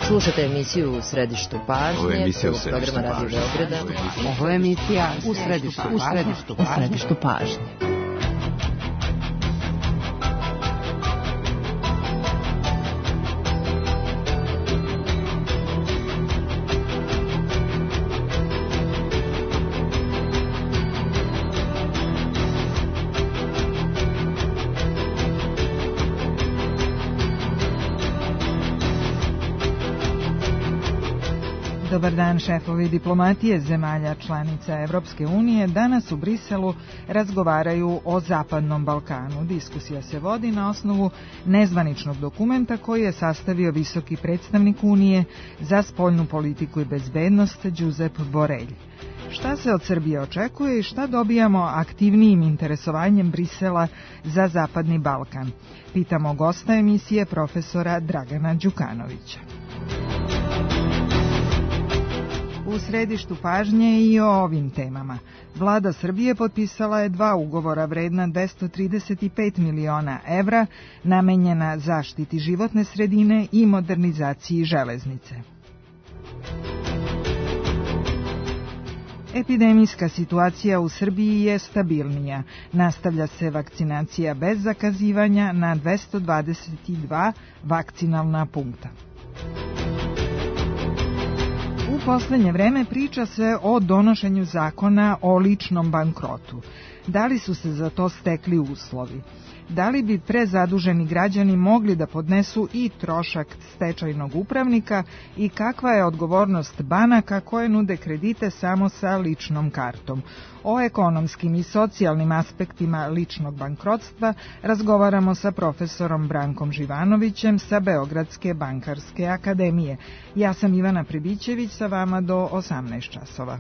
Slušate emisiju U središtu pažnje, programa Radio Beograda. Ovo je emisija U središtu pažnje. Dobar dan, šefovi diplomatije zemalja članica Evropske unije danas u Briselu razgovaraju o Zapadnom Balkanu. Diskusija se vodi na osnovu nezvaničnog dokumenta koji je sastavio visoki predstavnik Unije za spoljnu politiku i bezbednost Josep Borrell. Šta se od Srbije očekuje i šta dobijamo aktivnijim interesovanjem Brisela za Zapadni Balkan? Pitamo gosta emisije profesora Dragana Đukanovića. U središtu pažnje i o ovim temama. Vlada Srbije potpisala je 2 ugovora vredna 235 miliona evra namenjena zaštiti životne sredine i modernizaciji železnice. Epidemijska situacija u Srbiji je stabilnija. Nastavlja se vakcinacija bez zakazivanja na 222 vakcinalna punkta. U poslednje vreme priča se o donošenju zakona o ličnom bankrotu. Da li su se za to stekli uslovi? Da li bi prezaduženi građani mogli da podnesu i trošak stečajnog upravnika i kakva je odgovornost banaka koje nude kredite samo sa ličnom kartom? O ekonomskim i socijalnim aspektima ličnog bankrotstva razgovaramo sa profesorom Brankom Živanovićem sa Beogradske bankarske akademije. Ja sam Ivana Prebićević, sa vama do 18 časova.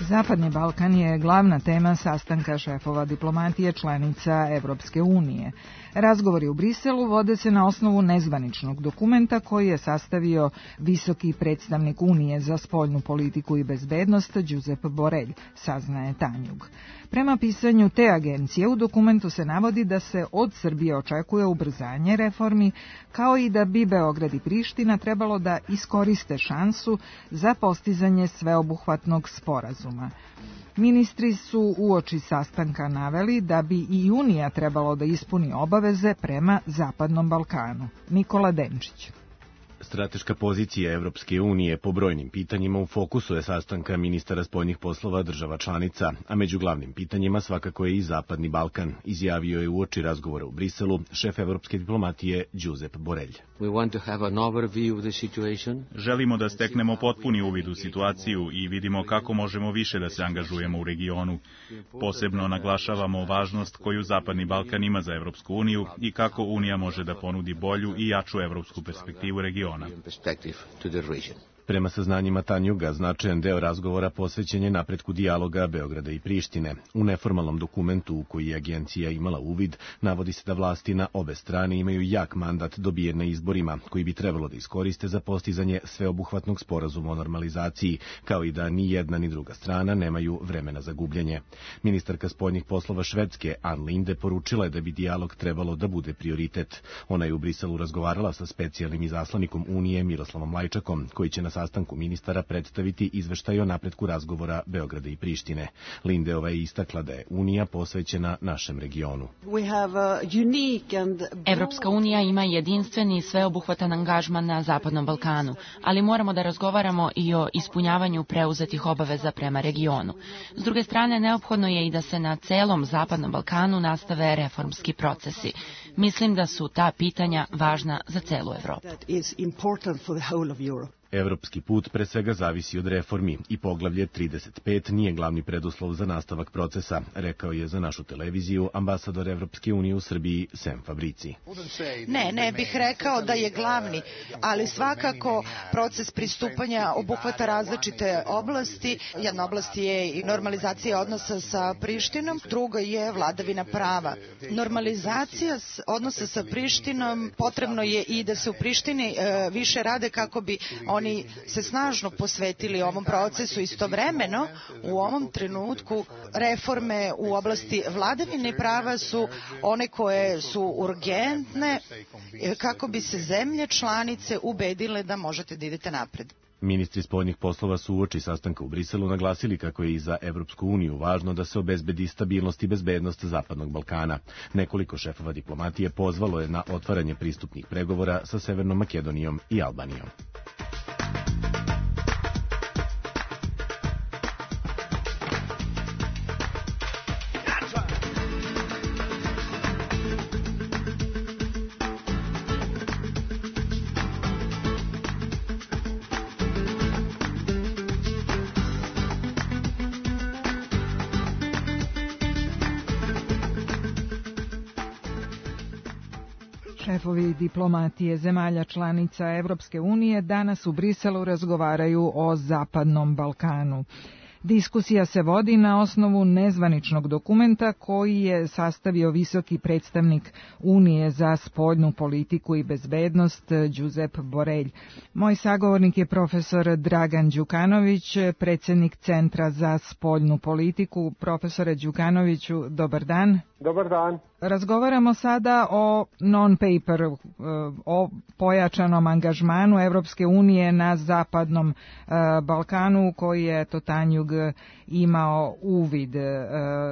Zapadni Balkan je glavna tema sastanka šefova diplomatije članica Evropske unije. Razgovori u Briselu vode se na osnovu nezvaničnog dokumenta koji je sastavio visoki predstavnik Unije za spoljnu politiku i bezbednost Josep Borrell, saznaje Tanjug. Prema pisanju te agencije u dokumentu se navodi da se od Srbije očekuje ubrzanje reformi, kao i da bi Beograd i Priština trebalo da iskoriste šansu za postizanje sveobuhvatnog sporazuma. Ministri su uoči sastanka naveli da bi i Unija trebalo da ispuni obaveze prema Zapadnom Balkanu. Nikola Denčić. Strateška pozicija Evropske unije po brojnim pitanjima u fokusu je sastanka ministara spoljnih poslova država članica, a među glavnim pitanjima svakako je i Zapadni Balkan, izjavio je uoči razgovora u Briselu šef evropske diplomatije Josep Borrell. Želimo da steknemo potpuni uvid u situaciju i vidimo kako možemo više da se angažujemo u regionu. Posebno naglašavamo važnost koju Zapadni Balkan ima za Evropsku uniju i kako Unija može da ponudi bolju i jaču evropsku perspektivu regiona. Prema saznanjima Tanjuga, značajan deo razgovora posvećen je napretku dijaloga Beograda i Prištine. U neformalnom dokumentu u koji je agencija imala uvid, navodi se da vlasti na obe strane imaju jak mandat dobijen na izborima, koji bi trebalo da iskoriste za postizanje sveobuhvatnog sporazuma o normalizaciji, kao i da ni jedna ni druga strana nemaju vremena za gubljenje. Ministarka spoljnih poslova Švedske, Ann Linde, poručila je da bi dijalog trebalo da bude prioritet. Ona je u Briselu razgovarala sa specijalnim izaslanikom Unije Miroslavom Lajčakom, koji će na sastanku ministara predstaviti izveštaj o napretku razgovora Beograda i Prištine. Lindeova je istakla da je Unija posvećena našem regionu. Evropska unija ima jedinstveni i sveobuhvatan angažman na Zapadnom Balkanu, ali moramo da razgovaramo i o ispunjavanju preuzetih obaveza prema regionu. S druge strane, neophodno je i da se na celom Zapadnom Balkanu nastave reformski procesi. Mislim da su ta pitanja važna za celu Evropu. Evropski put pre svega zavisi od reformi i poglavlje 35 nije glavni preduslov za nastavak procesa, rekao je za našu televiziju ambasador Evropske unije u Srbiji Sem Fabrici. Ne bih rekao da je glavni, ali svakako proces pristupanja obuhvata različite oblasti. Jedna oblast je i normalizacija odnosa sa Prištinom, druga je vladavina prava. Normalizacija odnosa sa Prištinom potrebno je i da se u Prištini više rade kako bi oni se snažno posvetili ovom procesu. Istovremeno, u ovom trenutku reforme u oblasti vladavine prava su one koje su urgentne kako bi se zemlje članice ubedile da možete da idete napred. Ministri spoljnih poslova su uoči sastanka u Briselu naglasili kako je i za Evropsku uniju važno da se obezbedi stabilnost i bezbednost Zapadnog Balkana. Nekoliko šefova diplomatije pozvalo je na otvaranje pristupnih pregovora sa Severnom Makedonijom i Albanijom. Šefovi diplomatije zemalja članica Evropske unije danas u Briselu razgovaraju o Zapadnom Balkanu. Diskusija se vodi na osnovu nezvaničnog dokumenta koji je sastavio visoki predstavnik Unije za spoljnu politiku i bezbednost Josep Borrell. Moj sagovornik je profesor Dragan Đukanović, predsjednik Centra za spoljnu politiku. Profesore Đukanoviću, dobar dan. Dobar dan. Razgovaramo sada o non-paper, o pojačanom angažmanu Evropske unije na Zapadnom Balkanu koji je Tanjug imao uvid.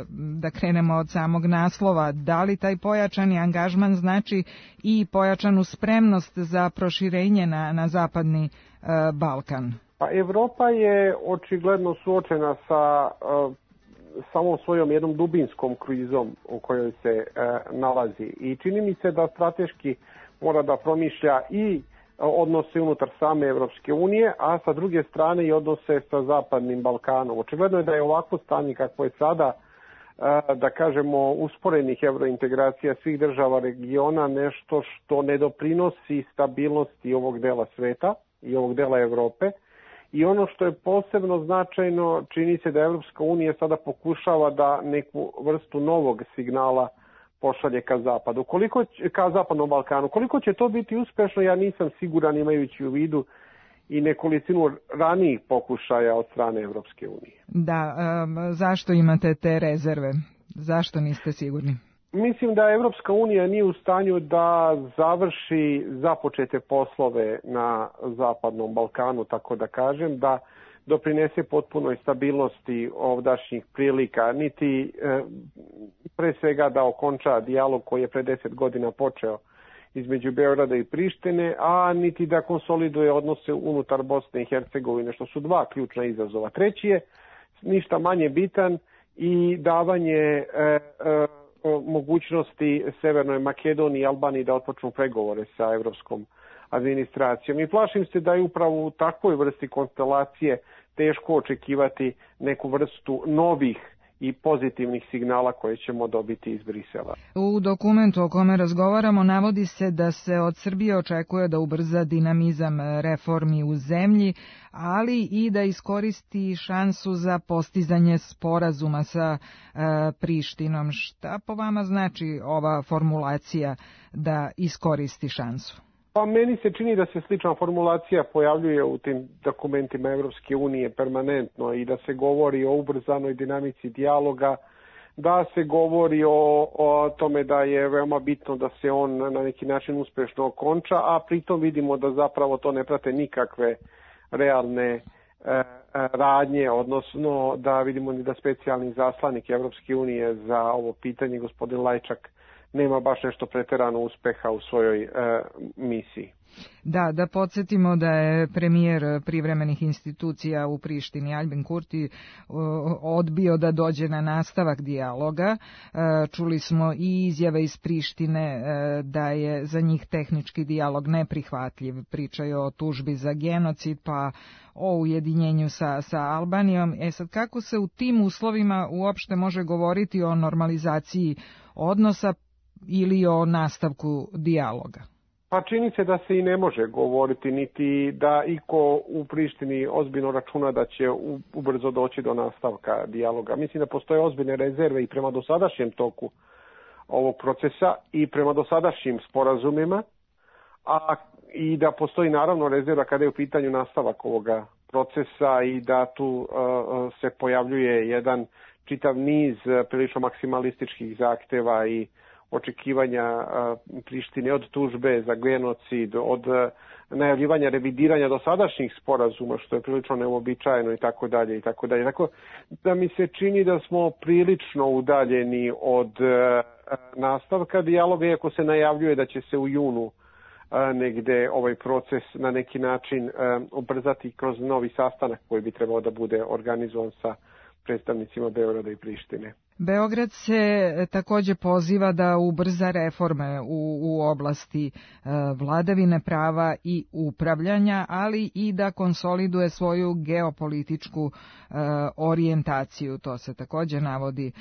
Da krenemo od samog naslova. Da li taj pojačani angažman znači i pojačanu spremnost za proširenje na Zapadni Balkan? Pa Evropa je očigledno suočena sa samom svojom jednom dubinskom krizom u kojoj se nalazi i čini mi se da strateški mora da promišlja i odnose unutar same Evropske unije, a sa druge strane i odnose sa Zapadnim Balkanom. Očigledno je da je ovako stanje kako je sada, da kažemo, usporenih evrointegracija svih država regiona nešto što ne doprinosi stabilnosti ovog dela sveta i ovog dela Evrope. I ono što je posebno značajno, čini se da Evropska unija sada pokušava da neku vrstu novog signala pošalje ka zapadu. Ka Zapadnom Balkanu. Koliko će to biti uspešno, ja nisam siguran imajući u vidu i nekolicinu ranijih pokušaja od strane Evropske unije. Da, zašto imate te rezerve? Zašto niste sigurni? Mislim da Evropska unija nije u stanju da završi započete poslove na Zapadnom Balkanu, tako da kažem, da doprinese potpunoj stabilnosti ovdašnjih prilika, niti pre svega da okonča dijalog koji je pre 10 godina počeo između Beograda i Prištine, a niti da konsoliduje odnose unutar Bosne i Hercegovine, što su dva ključna izazova. Treći je, ništa manje bitan, i davanje mogućnosti Severnoj Makedoniji i Albaniji da otpočnu pregovore sa evropskom administracijom. I plašim se da je upravo u takvoj vrsti konstelacije teško očekivati neku vrstu novih i pozitivnih signala koje ćemo dobiti iz Brisela. U dokumentu o kome razgovaramo navodi se da se od Srbije očekuje da ubrza dinamizam reformi u zemlji, ali i da iskoristi šansu za postizanje sporazuma sa Prištinom. Šta po vama znači ova formulacija da iskoristi šansu? Pa meni se čini da se slična formulacija pojavljuje u tim dokumentima Evropske unije permanentno i da se govori o ubrzanoj dinamici dijaloga, da se govori o tome da je veoma bitno da se on na neki način uspešno okonča, a pritom vidimo da zapravo to ne prate nikakve realne radnje, odnosno da vidimo da specijalni zaslanik Evropske unije za ovo pitanje, gospodin Lajčak, nema baš nešto preterano uspeha u svojoj misiji. Da podsjetimo da je premijer privremenih institucija u Prištini Aljbin Kurti odbio da dođe na nastavak dijaloga. Čuli smo i izjave iz Prištine da je za njih tehnički dijalog neprihvatljiv. Pričaju o tužbi za genocid pa o ujedinjenju sa Albanijom. Sad kako se u tim uslovima uopšte može govoriti o normalizaciji odnosa ili o nastavku dijaloga? Pa čini se da se i ne može govoriti, niti da iko u Prištini ozbiljno računa da će ubrzo doći do nastavka dijaloga. Mislim da postoje ozbiljne rezerve i prema dosadašnjem toku ovog procesa i prema dosadašnjim sporazumima, a i da postoji naravno rezerva kada je u pitanju nastavak ovoga procesa i da tu se pojavljuje jedan čitav niz prilično maksimalističkih zahteva i očekivanja Prištine od tužbe za genocid, od najavljivanja revidiranja dosadašnjih sporazuma, što je prilično neuobičajeno i tako dalje i tako dalje. Tako da mi se čini da smo prilično udaljeni od nastavka dijaloga, iako se najavljuje da će se u junu negde ovaj proces na neki način ubrzati kroz novi sastanak koji bi trebao da bude organizovan sa predstavnicima Beograda i Prištine. Beograd se također poziva da ubrza reforme u oblasti vladavine prava i upravljanja, ali i da konsoliduje svoju geopolitičku orijentaciju. To se također navodi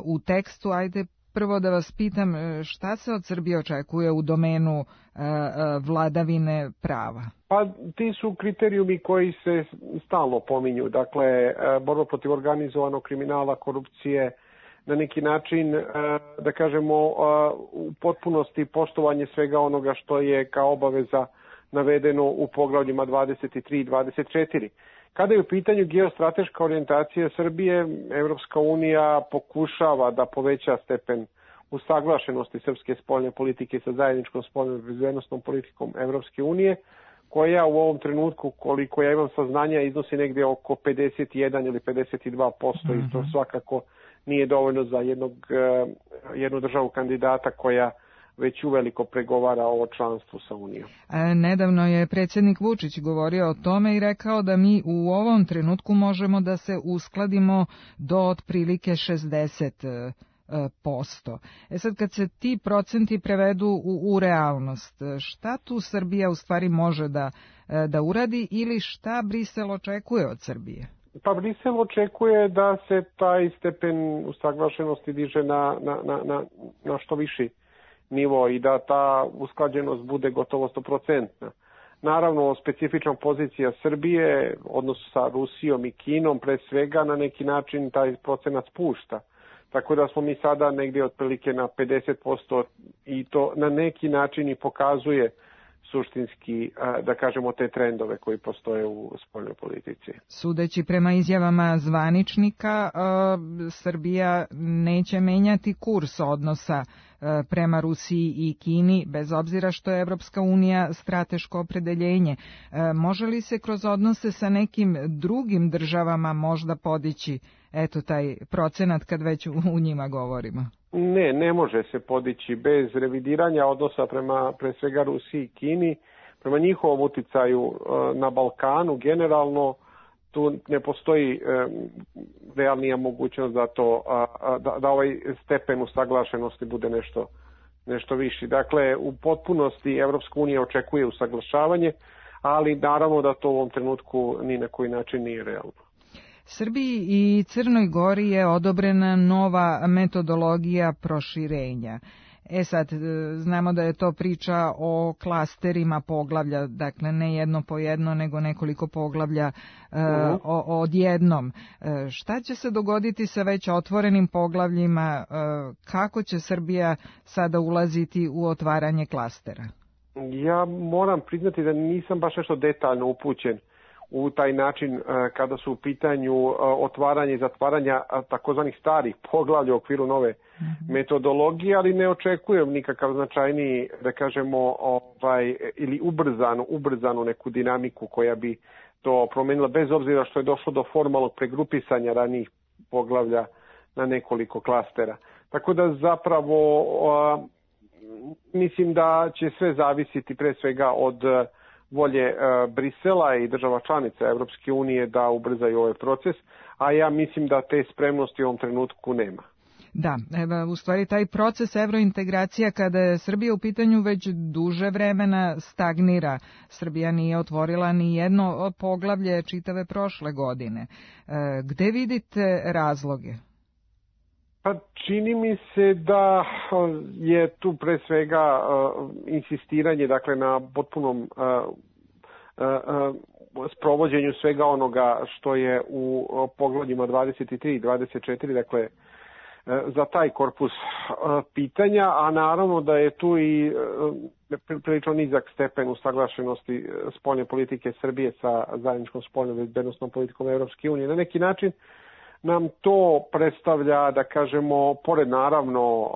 u tekstu. Ajde prvo da vas pitam šta se od Srbije očekuje u domenu vladavine prava? Pa ti su kriterijumi koji se stalno pominju. Dakle, borba protiv organizovanog kriminala, korupcije, na neki način, da kažemo, u potpunosti poštovanje svega onoga što je kao obaveza navedeno u poglavljima 23 i 24. Kada je u pitanju geostrateška orijentacija Srbije, Evropska unija pokušava da poveća stepen usaglašenosti srpske spoljne politike sa zajedničkom spoljnom bezbednosnom politikom Evropske unije, koja u ovom trenutku, koliko ja imam saznanja, iznosi negdje oko 51 ili 52%, i to svakako nije dovoljno za jednu državu kandidata koja već uveliko pregovara o članstvu sa Unijom. Nedavno je predsjednik Vučić govorio o tome i rekao da mi u ovom trenutku možemo da se uskladimo do otprilike 60%. Sad kad se ti procenti prevedu u realnost, šta tu Srbija u stvari može da uradi ili šta Brisel očekuje od Srbije? Pa Brisel očekuje da se taj stepen usaglašenosti diže na što viši nivo i da ta usklađenost bude gotovo 100%. Naravno, specifična pozicija Srbije, odnos sa Rusijom i Kinom, pre svega na neki način taj procenat spušta. Tako da smo mi sada negdje otprilike na 50% i to na neki način i pokazuje suštinski, da kažemo, te trendove koji postoje u spoljnoj politici. Sudeći prema izjavama zvaničnika, Srbija neće menjati kurs odnosa prema Rusiji i Kini, bez obzira što je Evropska unija strateško opredeljenje. Može li se kroz odnose sa nekim drugim državama možda podići taj procenat kad već u njima govorimo? Ne može se podići bez revidiranja odnosa prema pre svega Rusiji i Kini, prema njihovom uticaju na Balkanu generalno. Tu ne postoji realnija mogućnost da da ovaj stepen usaglašenosti bude nešto viši. Dakle, u potpunosti Evropska unija očekuje usaglašavanje, ali naravno da to u ovom trenutku ni na koji način nije realno. Srbiji i Crnoj Gori je odobrena nova metodologija proširenja. Sad, znamo da je to priča o klasterima poglavlja, dakle ne jedno po jedno, nego nekoliko poglavlja odjednom. Šta će se dogoditi sa već otvorenim poglavljima? Kako će Srbija sada ulaziti u otvaranje klastera? Ja moram priznati da nisam baš nešto detaljno upućen u taj način kada su u pitanju otvaranje i zatvaranja takozvanih starih poglavlja u okviru nove metodologije, ali ne očekujem nikakav značajniji, da kažemo, ili ubrzanu neku dinamiku koja bi to promenila, bez obzira što je došlo do formalnog pregrupisanja ranijih poglavlja na nekoliko klastera. Tako da zapravo mislim da će sve zavisiti pre svega od volje Brisela i država članica Evropske unije da ubrzaju ovaj proces, a ja mislim da te spremnosti u ovom trenutku nema. Da, u stvari taj proces evrointegracija kada je Srbija u pitanju već duže vremena stagnira. Srbija nije otvorila ni jedno poglavlje čitave prošle godine. Gde vidite razloge? Pa čini mi se da je tu pre svega insistiranje dakle na potpunom sprovođenju svega onoga što je u poglavljima 23 i 24, dakle za taj korpus pitanja, a naravno da je tu i prilično nizak stepen usaglašenosti spoljne politike Srbije sa zajedničkom spoljnom bezbednosnom politikom Evropske unije. Na neki način nam to predstavlja, da kažemo, pored naravno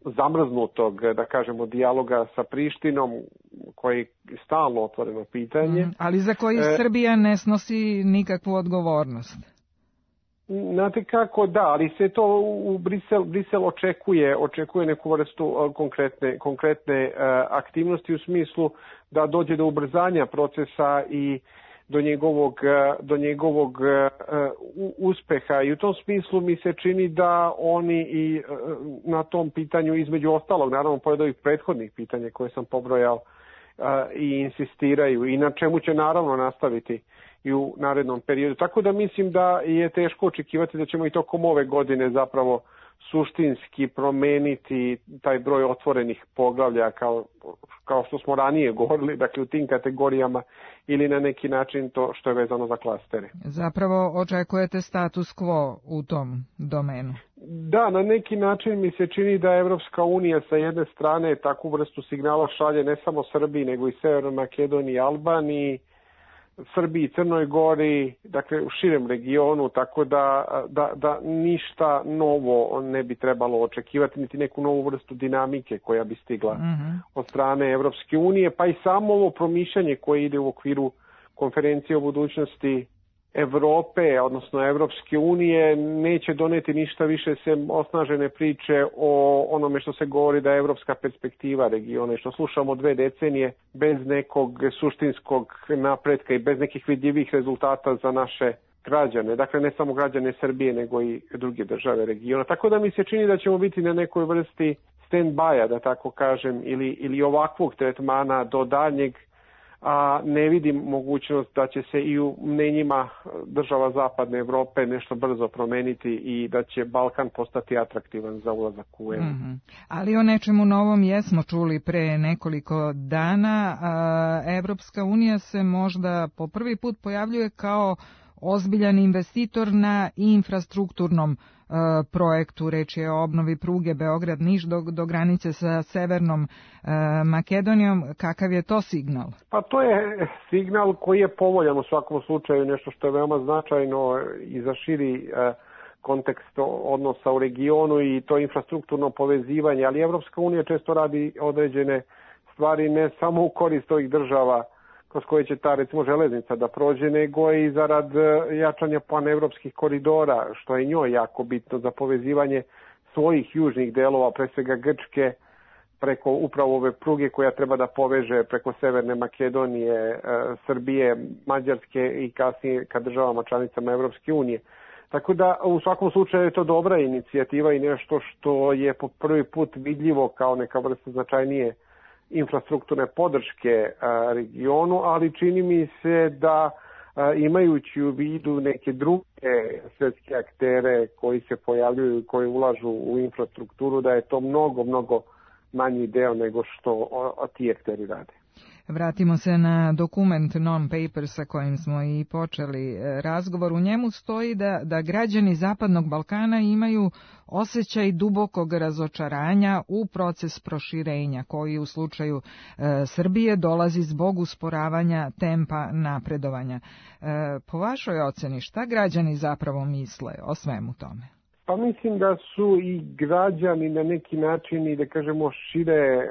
zamrznutog, da kažemo, dijaloga sa Prištinom, koji je stalno otvoreno pitanje. Ali za koji Srbija ne snosi nikakvu odgovornost. Znate kako, da, ali se to u Brisel očekuje neku vrstu konkretne aktivnosti u smislu da dođe do ubrzanja procesa i do njegovog uspeha, i u tom smislu mi se čini da oni i na tom pitanju, između ostalog, naravno pored ovih prethodnih pitanja koje sam pobrojao, i insistiraju i na čemu će naravno nastaviti i u narednom periodu. Tako da mislim da je teško očekivati da ćemo i tokom ove godine zapravo suštinski promeniti taj broj otvorenih poglavlja kao što smo ranije govorili, dakle u tim kategorijama, ili na neki način to što je vezano za klastere. Zapravo očekujete status quo u tom domenu? Da, na neki način mi se čini da Evropska unija sa jedne strane takvu vrstu signala šalje ne samo Srbiji, nego i Severnoj Makedoniji i Albaniji, Srbiji, Crnoj Gori, dakle u širem regionu, tako da ništa novo ne bi trebalo očekivati, niti neku novu vrstu dinamike koja bi stigla od strane Evropske unije, pa i samo ovo promišljanje koje ide u okviru konferencije o budućnosti Evrope, odnosno Evropske unije, neće doneti ništa više sem osnažene priče o onome što se govori da je evropska perspektiva regiona, što slušamo 2 decenije bez nekog suštinskog napretka i bez nekih vidljivih rezultata za naše građane. Dakle, ne samo građane Srbije, nego i druge države regiona. Tako da mi se čini da ćemo biti na nekoj vrsti stand-by-a, da tako kažem, ili ovakvog tretmana do daljnjeg, a ne vidim mogućnost da će se i u mnenjima država Zapadne Evrope nešto brzo promeniti i da će Balkan postati atraktivan za ulazak u EU. Ali o nečemu novom jesmo čuli pre nekoliko dana. Evropska unija se možda po prvi put pojavljuje kao ozbiljan investitor na infrastrukturnom projektu. Reč je o obnovi pruge Beograd-Niš do granice sa Severnom Makedonijom. Kakav je to signal? Pa to je signal koji je povoljan u svakom slučaju, nešto što je veoma značajno i za širi kontekst odnosa u regionu, i to infrastrukturno povezivanje, ali Evropska unija često radi određene stvari ne samo u korist ovih država kroz koje će ta, recimo, železnica da prođe, nego i zarad jačanja panevropskih koridora, što je njoj jako bitno za povezivanje svojih južnih delova, pre svega Grčke, preko upravo ove pruge koja treba da poveže preko Severne Makedonije, Srbije, Mađarske i kasnije ka državama članicama Evropske unije. Tako da u svakom slučaju je to dobra inicijativa i nešto što je po prvi put vidljivo kao neka vrsta značajnije infrastrukturne podrške regionu, ali čini mi se da imajući u vidu neke druge svetske aktere koji se pojavljuju i koji ulažu u infrastrukturu, da je to mnogo manji deo nego što ti akteri rade. Vratimo se na dokument non-paper sa kojim smo i počeli razgovor. U njemu stoji da građani Zapadnog Balkana imaju osjećaj dubokog razočaranja u proces proširenja, koji u slučaju Srbije dolazi zbog usporavanja tempa napredovanja. Po vašoj oceni, šta građani zapravo misle o svemu tome? Pa mislim da su i građani na neki način i da kažemo šire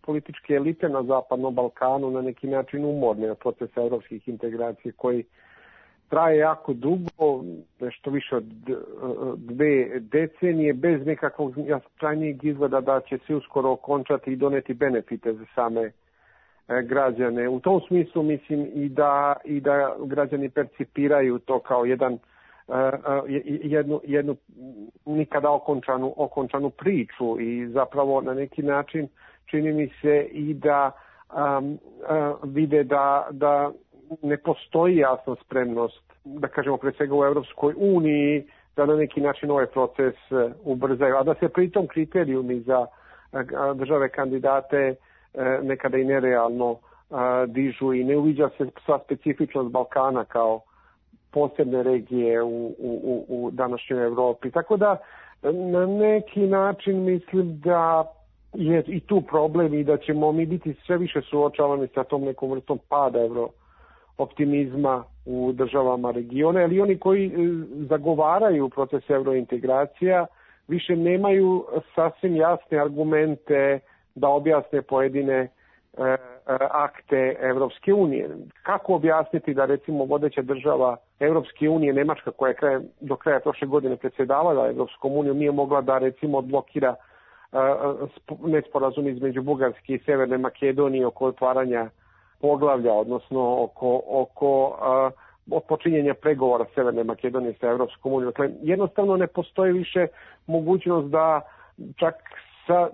političke elite na Zapadnom Balkanu na neki način umorne od procesa evropskih integracija koji traje jako dugo, nešto više od 2 decenije bez nekakvog krajnjeg izgleda da će se uskoro okončati i doneti benefite za same građane. U tom smislu mislim i da građani percipiraju to kao jednu nikada okončanu priču i zapravo na neki način čini mi se i da vide da ne postoji jasna spremnost, da kažemo pre svega u Evropskoj uniji, da na neki način ovaj proces ubrzaju, a da se pritom kriterijumi za države kandidate nekada i nerealno dižu i ne uviđa se sva specifičnost Balkana kao posebne regije u današnjoj Evropi. Tako da na neki način mislim da je i tu problem i da ćemo mi biti sve više suočavani sa tom nekom vrstom pada optimizma u državama regiona, ali oni koji zagovaraju proces eurointegracija više nemaju sasvim jasne argumente da objasne pojedine akte Evropske unije. Kako objasniti da recimo vodeća država Evropske unije, Nemačka, koja je do kraja prošle godine predsjedavala Evropskom unijom, nije mogla da recimo odblokira nesporazum između Bugarske i Severne Makedonije oko otvaranja poglavlja, odnosno oko počinjenja pregovora Severne Makedonije sa Evropskom unijom. Dakle, jednostavno ne postoji više mogućnost da čak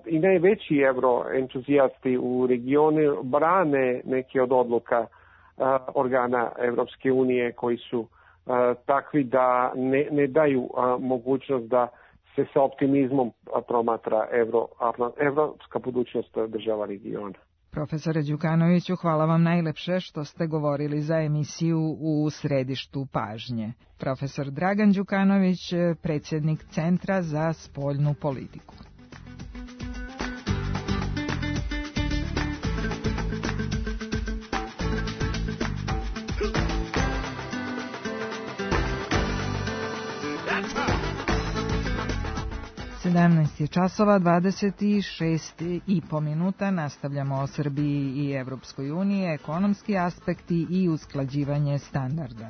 i najveći evroentuzijasti u regionu brane neke od odluka organa Evropske unije koji su takvi da ne daju mogućnost da se sa optimizmom promatra evropska budućnost država regiona. Profesore Đukanoviću, hvala vam najlepše što ste govorili za emisiju U središtu pažnje. Profesor Dragan Đukanović, predsjednik Centra za spoljnu politiku. časova 26,5 minuta. Nastavljamo o Srbiji i Evropskoj uniji, ekonomski aspekti i usklađivanje standarda.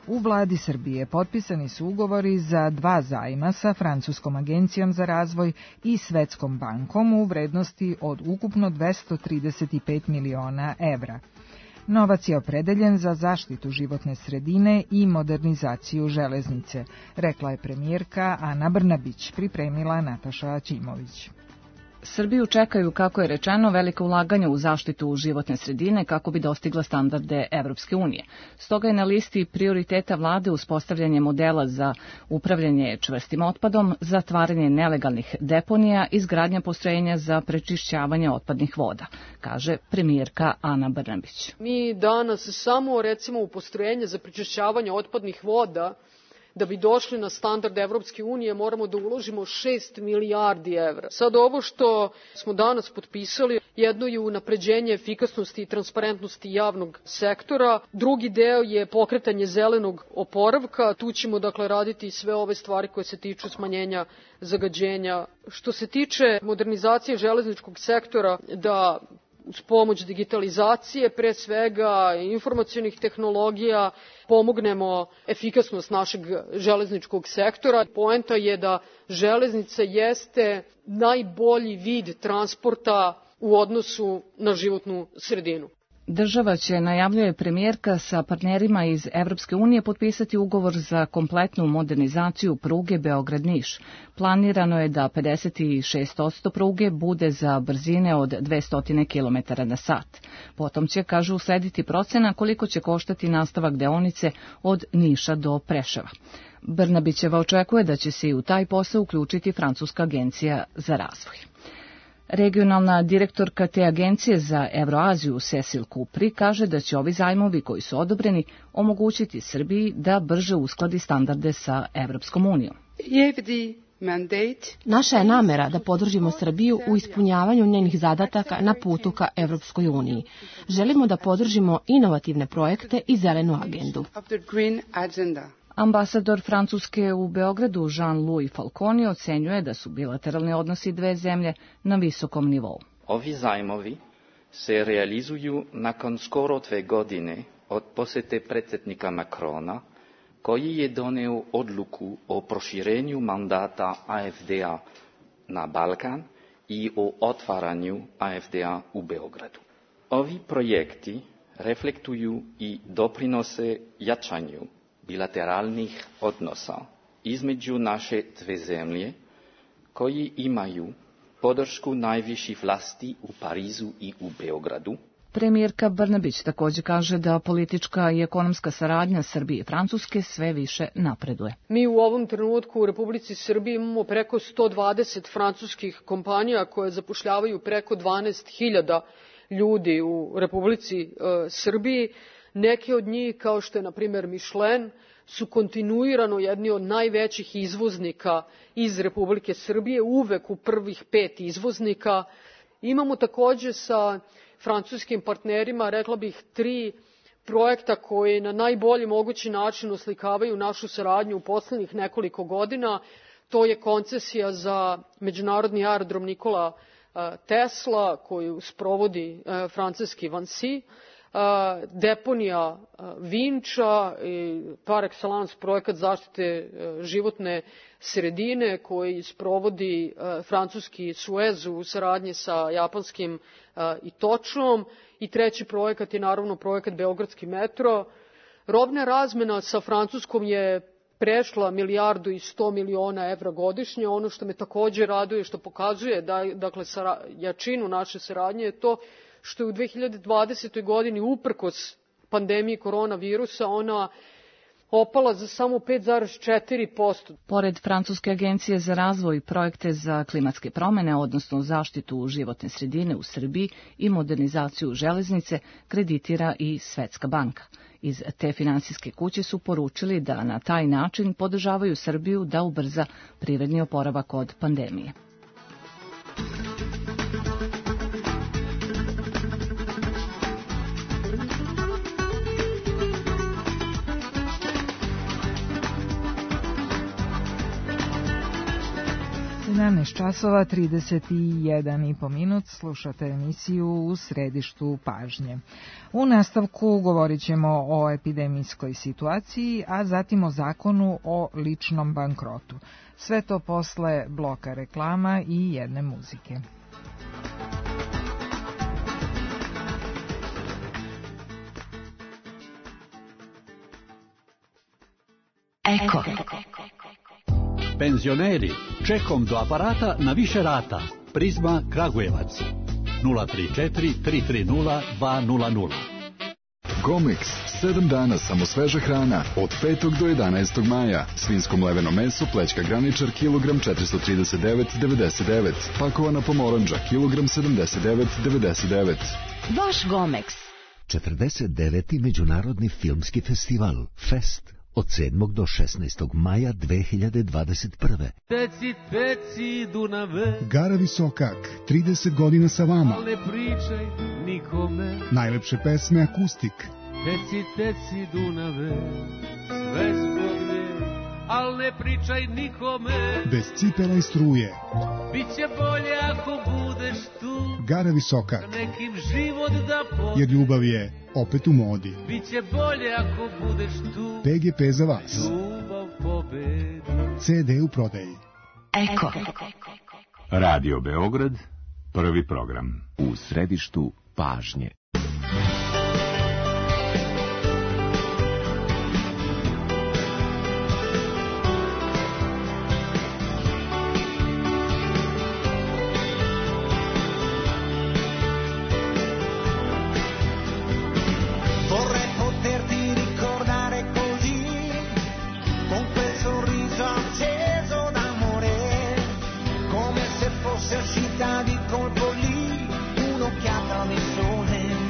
U vladi Srbije potpisani su ugovori za 2 zajma sa Francuskom agencijom za razvoj i Svetskom bankom u vrednosti od ukupno 235 miliona evra. Novac je opredeljen za zaštitu životne sredine i modernizaciju železnice, rekla je premijerka Ana Brnabić, pripremila Nataša Ćimović. Srbiju čekaju, kako je rečeno, velika ulaganja u zaštitu životne sredine kako bi dostigla standarde Evropske unije. Stoga je na listi prioriteta vlade uspostavljanje modela za upravljanje čvrstim otpadom, zatvaranje nelegalnih deponija i izgradnja postrojenja za prečišćavanje otpadnih voda, kaže premijerka Ana Brnabić. Mi danas samo, recimo, u postrojenje za prečišćavanje otpadnih voda, da bi došli na standard Evropske unije, moramo da uložimo 6 milijardi evra. Sad ovo što smo danas potpisali, jedno je unapređenje efikasnosti i transparentnosti javnog sektora, drugi deo je pokretanje zelenog oporavka, tu ćemo dakle raditi sve ove stvari koje se tiču smanjenja zagađenja. Što se tiče modernizacije železničkog sektora, da uz pomoć digitalizacije, pre svega informacionih tehnologija, pomognemo efikasnost našeg železničkog sektora. Poenta je da železnica jeste najbolji vid transporta u odnosu na životnu sredinu. Država će, najavljuje premijerka, sa partnerima iz Evropske unije potpisati ugovor za kompletnu modernizaciju pruge Beograd-Niš. Planirano je da 56% pruge bude za brzine od 200 km na sat. Potom će, kažu, uslediti procena koliko će koštati nastavak deonice od Niša do Preševa. Brnabićeva očekuje da će se i u taj posao uključiti Francuska agencija za razvoj. Regionalna direktorka te agencije za Evroaziju Cecil Kupri kaže da će ovi zajmovi koji su odobreni omogućiti Srbiji da brže uskladi standarde sa Evropskom unijom. Naša je namera da podržimo Srbiju u ispunjavanju njenih zadataka na putu ka Evropskoj uniji. Želimo da podržimo inovativne projekte i zelenu agendu. Ambasador Francuske u Beogradu Jean-Louis Falconi ocenjuje da su bilateralni odnosi dve zemlje na visokom nivou. Ovi zajmovi se realizuju nakon skoro 2 godine od posete predsjednika Macrona koji je doneo odluku o proširenju mandata AFD-a na Balkan i o otvaranju AFD-a u Beogradu. Ovi projekti reflektuju i doprinose jačanju bilateralnih odnosa između naše dve zemlje, koji imaju podršku najviših vlasti u Parizu i u Beogradu. Premijerka Brnabić također kaže da politička i ekonomska saradnja Srbije i Francuske sve više napreduje. Mi u ovom trenutku u Republici Srbiji imamo preko 120 francuskih kompanija koje zapošljavaju preko 12.000 ljudi u Republici Srbiji. Neke od njih, kao što je na primjer Michelin, su kontinuirano jedni od najvećih izvoznika iz Republike Srbije, uvek u prvih 5 izvoznika. Imamo također sa francuskim partnerima, rekla bih, 3 projekta koji na najbolji mogući način oslikavaju našu saradnju u poslednjih nekoliko godina. To je koncesija za međunarodni aerodrom Nikola Tesla koju sprovodi francuski Vinci, deponija Vinča i par excellence projekat zaštite životne sredine koji sprovodi francuski Suez u saradnji sa japanskim Itočom i 3. projekat je naravno projekat Beogradski metro. Robna razmena sa Francuskom je prešla 1,1 milijardu evra godišnje. Ono što me također raduje, što pokazuje dakle jačinu naše saradnje je to što je u 2020. godini uprkos pandemiji koronavirusa ona opala za samo 5,4%. Pored Francuske agencije za razvoj i projekte za klimatske promene, odnosno zaštitu životne sredine u Srbiji i modernizaciju železnice, kreditira i Svetska banka. Iz te finansijske kuće su poručili da na taj način podržavaju Srbiju da ubrza privredni oporavak od pandemije. časova 31,5 minut, slušate emisiju U središtu pažnje. U nastavku govorit ćemo o epidemijskoj situaciji, a zatim o zakonu o ličnom bankrotu. Sve to posle bloka reklama i jedne muzike. Eko. Penzioneri, čekom do aparata na više rata. Prizma Kragujevac. 034 330 200. Gomex, 7 dana samo sveža hrana, od 5. do 11. maja. Svinsko mleveno meso, plećka graničar, kilogram 439,99. Pakovana pomoranđa, kilogram 79,99. Vaš Gomex. 49. Međunarodni filmski festival, Fest, od 7. do 16. maja 2021. Teci, teci, Dunave. Gara Visokak, 30 godina sa vama. Ne pričaj nikome. Najlepše pesme akustik. Teci, teci, Dunave, sve zbog nje, al ne pričaj nikome. Bez cipela i struje. Biće bolje ako budeš tu. Gara Visokak. Nekim život da pobedi. Jer ljubav je opet u modi. Biće bolje ako budeš tu. PGP za vas. Ljubav pobedi. CD u prodaji. Eko. Radio Beograd, prvi program. U središtu pažnje. Di colpo lì, un'occhiata nel sole.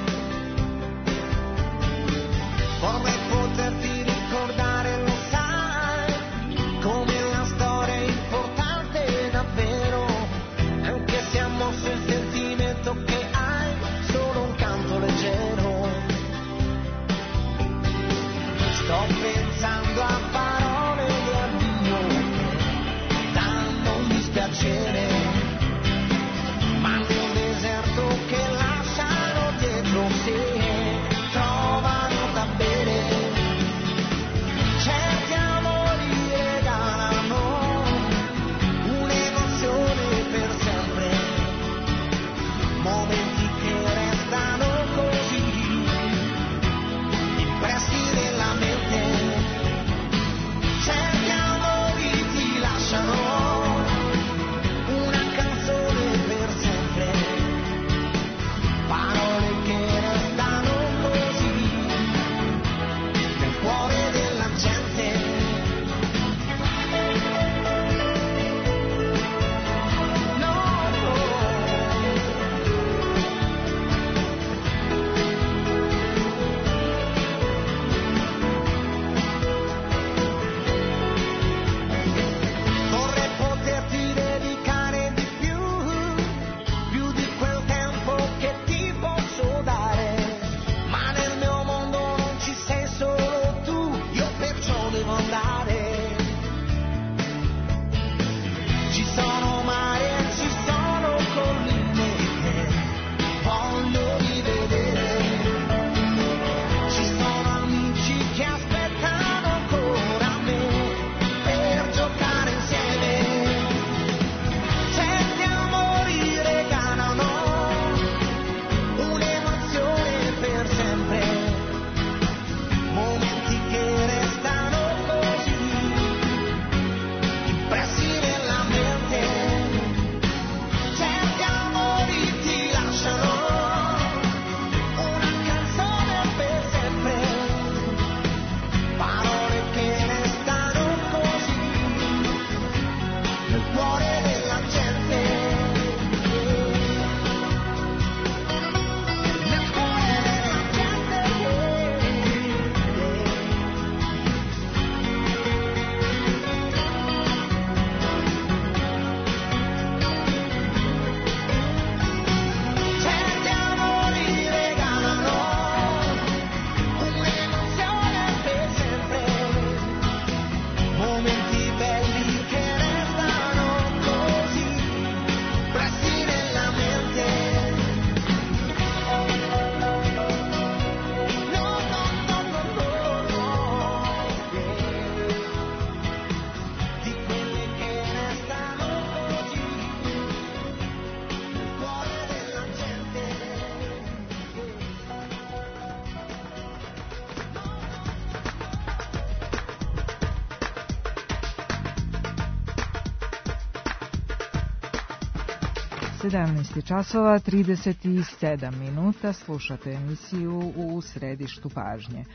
17 časova 37 minuta, slušate emisiju U središtu pažnje.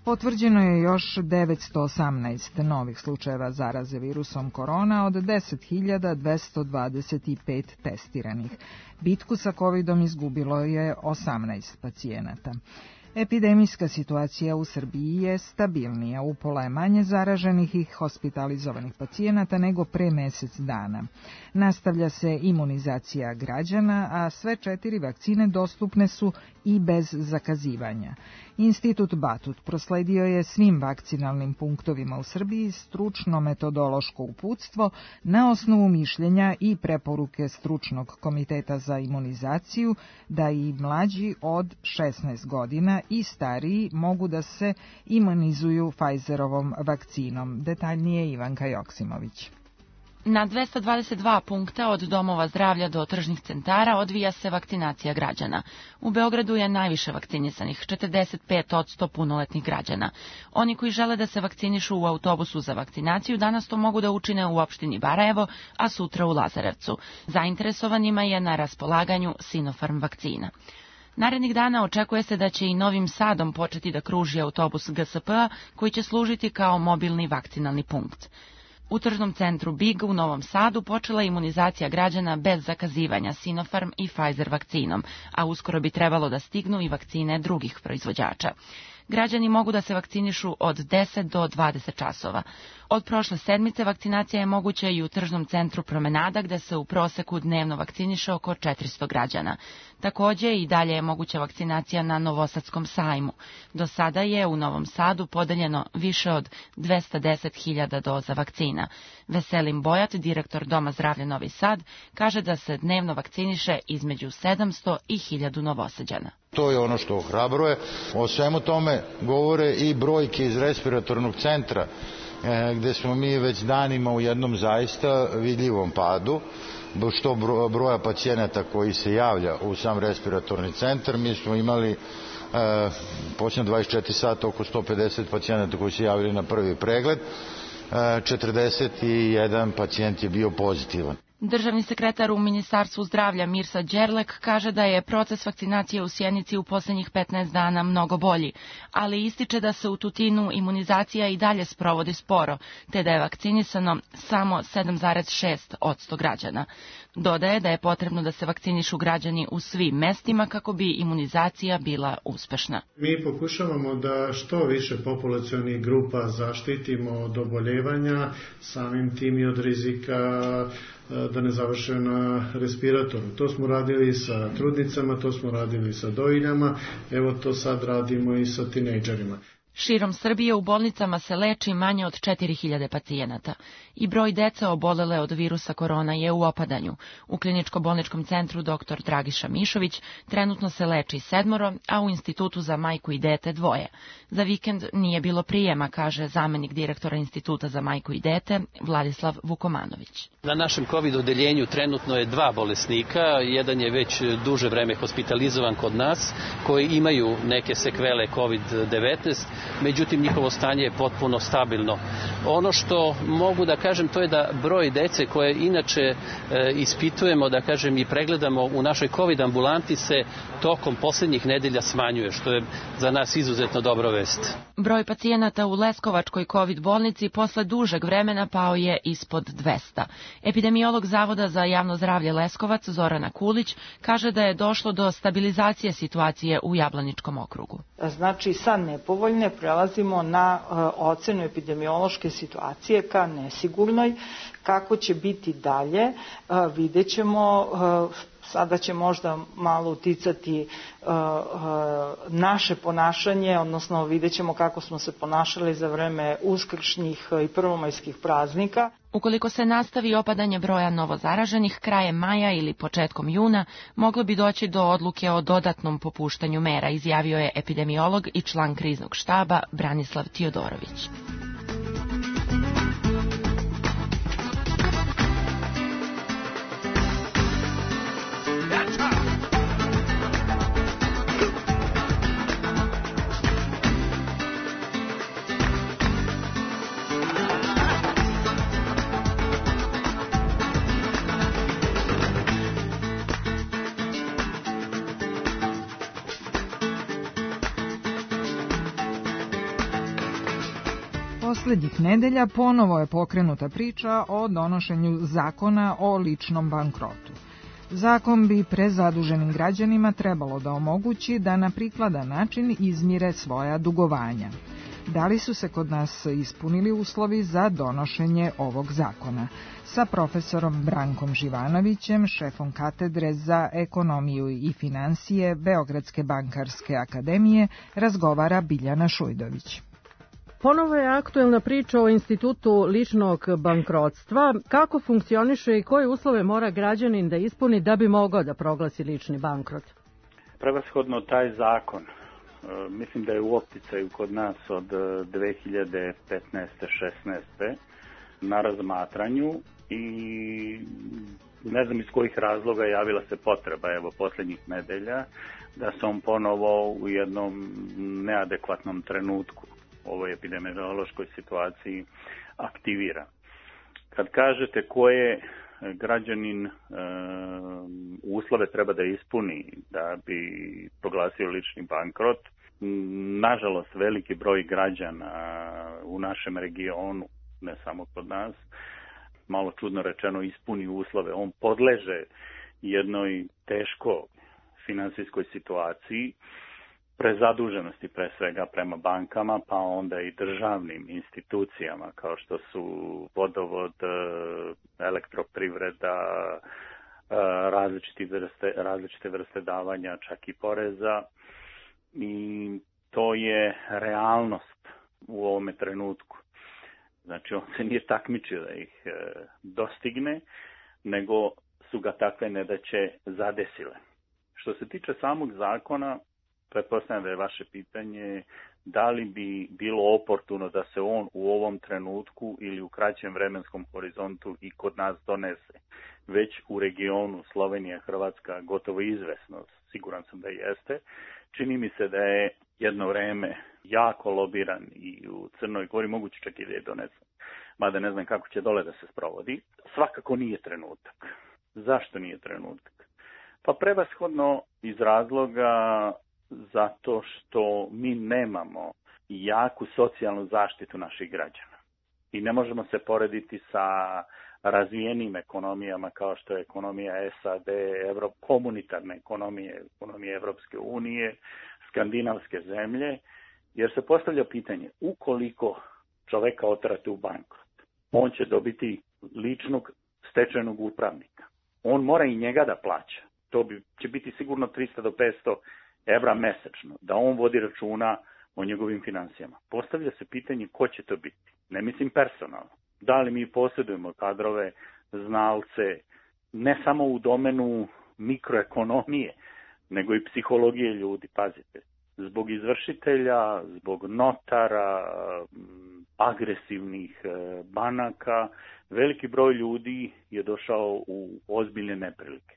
Potvrđeno je još 918 novih slučajeva zaraze virusom korona od 10.225 testiranih. Bitku sa covidom izgubilo je 18 pacijenata. Epidemijska situacija u Srbiji je stabilnija, upola je manje zaraženih i hospitalizovanih pacijenata nego pre mesec dana. Nastavlja se imunizacija građana, a sve 4 vakcine dostupne su i bez zakazivanja. Institut Batut prosledio je svim vakcinalnim punktovima u Srbiji stručno-metodološko uputstvo na osnovu mišljenja i preporuke Stručnog komiteta za imunizaciju da i mlađi od 16 godina i stariji mogu da se imunizuju Pfizerovom vakcinom. Detaljnije Ivanka Joksimović. Na 222 punkta od domova zdravlja do tržnih centara odvija se vakcinacija građana. U Beogradu je najviše vakcinisanih, 45% punoletnih građana. Oni koji žele da se vakcinišu u autobusu za vakcinaciju danas to mogu da učine u opštini Barajevo, a sutra u Lazarevcu. Zainteresovanima je na raspolaganju Sinopharm vakcina. Narednih dana očekuje se da će i Novim Sadom početi da kruži autobus GSP-a koji će služiti kao mobilni vakcinalni punkt. U tržnom centru Big u Novom Sadu počela je imunizacija građana bez zakazivanja Sinopharm i Pfizer vakcinom, a uskoro bi trebalo da stignu i vakcine drugih proizvođača. Građani mogu da se vakcinišu od 10 do 20 časova. Od prošle sedmice vakcinacija je moguća i u tržnom centru Promenada, gde se u proseku dnevno vakciniše oko 400 građana. Takođe i dalje je moguća vakcinacija na Novosadskom sajmu. Do sada je u Novom Sadu podeljeno više od 210.000 doza vakcina. Veselin Bojat, direktor Doma zdravlja Novi Sad, kaže da se dnevno vakciniše između 700 i 1000 Novosađana. To je ono što ohrabruje. O svemu tome govore i brojke iz respiratornog centra, gde smo mi već danima u jednom zaista vidljivom padu, što broja pacijenata koji se javlja u sam respiratorni centar. Mi smo imali posljednje 24 sata oko 150 pacijenata koji se javili na prvi pregled, 41 pacijent je bio pozitivan. Državni sekretar u Ministarstvu zdravlja Mirsa Đerlek kaže da je proces vakcinacije u Sjenici u poslednjih 15 dana mnogo bolji, ali ističe da se u Tutinu imunizacija i dalje sprovodi sporo, te da je vakcinisano samo 7,6% građana. Dodaje da je potrebno da se vakcinišu građani u svim mestima kako bi imunizacija bila uspešna. Mi pokušavamo da što više populacionih grupa zaštitimo od oboljevanja, samim tim i od rizika da ne završe na respiratoru. To smo radili sa trudnicama, to smo radili sa dojiljama, evo to sad radimo i sa tinejdžerima. Širom Srbije u bolnicama se leči manje od 4000 pacijenata i broj dece obolele od virusa korona je u opadanju. U kliničko-bolničkom centru dr. Dragiša Mišović trenutno se leči 7, a u Institutu za majku i dete 2. Za vikend nije bilo prijema, kaže zamenik direktora Instituta za majku i dete Vladislav Vukomanović. Na našem COVID odeljenju trenutno je 2 bolesnika, jedan je već duže vreme hospitalizovan kod nas, koji imaju neke sekvele COVID-19, međutim njihovo stanje je potpuno stabilno. Ono što mogu da kažem to je da broj dece koje inače ispitujemo, da kažem i pregledamo u našoj COVID ambulanti se tokom poslednjih nedelja smanjuje, što je za nas izuzetno dobra vest. Broj pacijenata u Leskovačkoj COVID bolnici posle dužeg vremena pao je ispod 200. Epidemiolog Zavoda za javno zdravlje Leskovac Zorana Kulić kaže da je došlo do stabilizacije situacije u Jablaničkom okrugu. Znači sa nepovoljne prelazimo na ocenu epidemiološke situacije ka nesigurnoj. Kako će biti dalje, vidjet ćemo. Sada će možda malo uticati naše ponašanje, odnosno vidjet ćemo kako smo se ponašali za vreme uskršnjih i prvomajskih praznika. Ukoliko se nastavi opadanje broja novozaraženih, krajem maja ili početkom juna moglo bi doći do odluke o dodatnom popuštanju mera, izjavio je epidemiolog i član kriznog štaba Branislav Tiodorović. Poslednjih nedelja ponovo je pokrenuta priča o donošenju zakona o ličnom bankrotu. Zakon bi prezaduženim građanima trebalo da omogući da na prikladan način izmire svoja dugovanja. Da li su se kod nas ispunili uslovi za donošenje ovog zakona? Sa profesorom Brankom Živanovićem, šefom katedre za ekonomiju i finansije Beogradske bankarske akademije, razgovara Biljana Šujdović. Ponovo je aktuelna priča o institutu ličnog bankrotstva. Kako funkcioniše i koje uslove mora građanin da ispuni da bi mogao da proglasi lični bankrot? Prevashodno taj zakon, mislim da je u opticaju kod nas od 2015. 16. na razmatranju i ne znam iz kojih razloga javila se potreba, evo, posljednjih nedelja, da se on ponovo u jednom neadekvatnom trenutku u ovoj epidemiološkoj situaciji aktivira. Kad kažete koje građanin uslove treba da ispuni da bi proglasio lični bankrot, nažalost veliki broj građana u našem regionu, ne samo kod nas, malo čudno rečeno ispuni uslove. On podleže jednoj teško finansijskoj situaciji, prezaduženosti pre svega prema bankama, pa onda i državnim institucijama kao što su vodovod, elektroprivreda, različite vrste davanja, čak i poreza. I to je realnost u ovome trenutku. Znači on se nije takmičio da ih dostigne, nego su ga takve nedaće zadesile. Što se tiče samog zakona, pretpostavljam da je vaše pitanje da li bi bilo oportuno da se on u ovom trenutku ili u kraćem vremenskom horizontu i kod nas donese. Već u regionu Slovenija, Hrvatska gotovo izvesno, siguran sam da jeste. Čini mi se da je jedno vreme jako lobiran i u Crnoj Gori, moguće čak i da je donesen, mada ne znam kako će dole da se sprovodi. Svakako nije trenutak. Zašto nije trenutak? Pa prevashodno iz razloga zato što mi nemamo jaku socijalnu zaštitu naših građana. I ne možemo se porediti sa razvijenim ekonomijama kao što je ekonomija SAD, komunitarne ekonomije Evropske unije, skandinavske zemlje, jer se postavlja pitanje, ukoliko čoveka oterate u bankrot, on će dobiti ličnog stečajnog upravnika. On mora i njega da plaća. To će biti sigurno 300 do 500 evra mesečno, da on vodi računa o njegovim financijama. Postavlja se pitanje ko će to biti. Ne mislim personalno. Da li mi posjedujemo kadrove, znalce, ne samo u domenu mikroekonomije, nego i psihologije ljudi, pazite. Zbog izvršitelja, zbog notara, agresivnih banaka, veliki broj ljudi je došao u ozbiljne neprilike.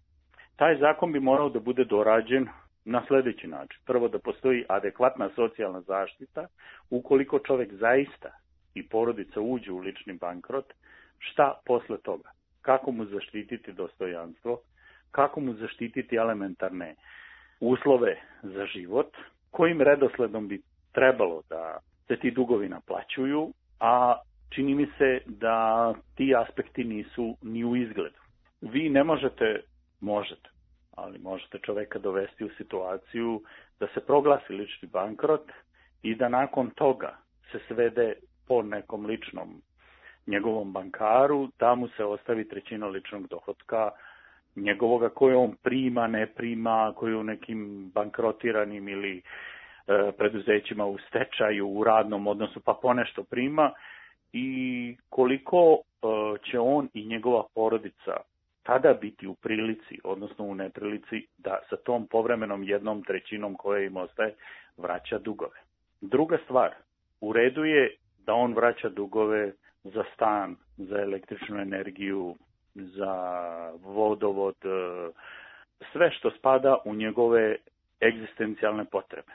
Taj zakon bi morao da bude dorađen na sljedeći način. Prvo, da postoji adekvatna socijalna zaštita, ukoliko čovjek zaista i porodica uđe u lični bankrot, šta posle toga? Kako mu zaštititi dostojanstvo, kako mu zaštititi elementarne uslove za život, kojim redosledom bi trebalo da se ti dugovi naplaćuju, a čini mi se da ti aspekti nisu ni u izgledu. Vi ne možete, ali možete čoveka dovesti u situaciju da se proglasi lični bankrot i da nakon toga se svede po nekom ličnom njegovom bankaru, da mu se ostavi trećina ličnog dohotka njegovoga koje on prima, ne prima, koji u nekim bankrotiranim ili preduzećima u stečaju, u radnom odnosu, pa ponešto prima i koliko će on i njegova porodica tada biti u prilici, odnosno u neprilici, da sa tom povremenom 1/3 koje im ostaje vraća dugove. Druga stvar, u redu je da on vraća dugove za stan, za električnu energiju, za vodovod, sve što spada u njegove egzistencijalne potrebe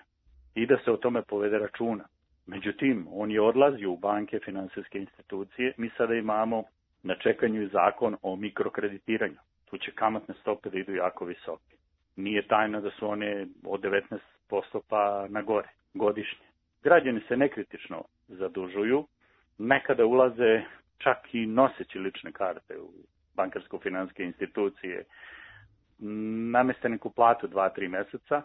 i da se o tome povede računa. Međutim, on je odlazio u banke, finansijske institucije. Mi sada imamo na čekanju i zakon o mikrokreditiranju. Tu će kamatne stope da idu jako visoke. Nije tajna da su one od 19% pa na gore godišnje. Građani se nekritično zadužuju nekada ulaze čak i noseći lične karte u bankarsko-finanske institucije, nameste neku platu 2-3 meseca